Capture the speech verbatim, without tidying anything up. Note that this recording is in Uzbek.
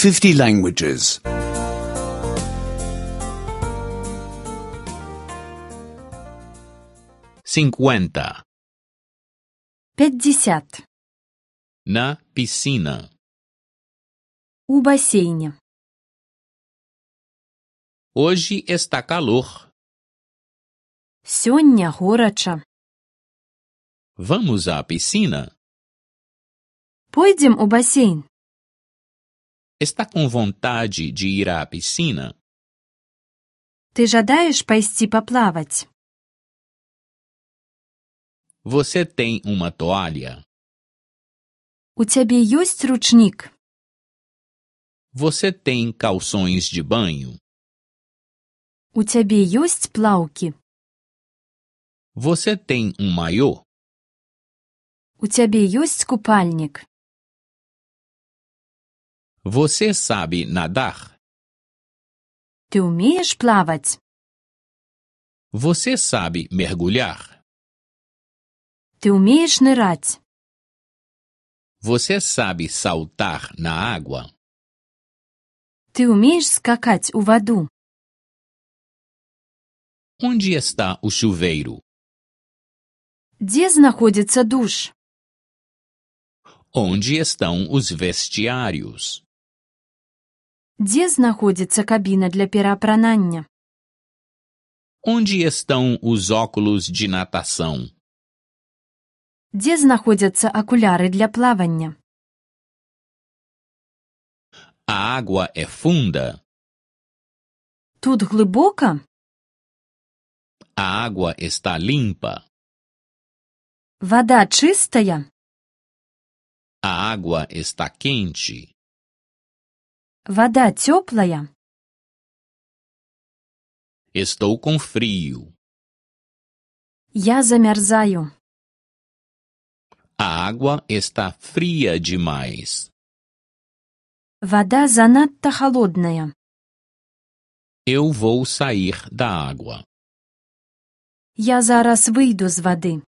fifty languages. Cinquenta. Пятьдесят. Na piscina. У бассейне. Hoje está calor. Сёння горача. Vamos à piscina? Пойдзем у бассейн? Está com vontade de ir à piscina? Ты жадаеш пайсці паплаваць? Você tem uma toalha? У цябе ёсць ручнік? Você tem calções de banho? У цябе ёсць плаўкі? Você tem um maiô? У цябе ёсць купальнік? Você sabe nadar? Ты ўмееш плаваць? Você sabe mergulhar? Ты ўмееш ныраць? Você sabe saltar na água? Ты ўмееш скакаць у ваду? Onde está o chuveiro? Дзе знаходзіцца душ? Onde estão os vestiários? Дзе знаходзіцца кабіна для пераапранання? Onde estão os óculos de natação? Дзе знаходзяцца акуляры для плавання? A água é funda? Тут глыбока? A água está limpa? Вада чыстая? A água está quente? Вада цёплая? Estou com frio. Я замярзаю. A água está fria demais. Вада занадта халодная. Eu vou sair da água. Я зараз выйду з вады.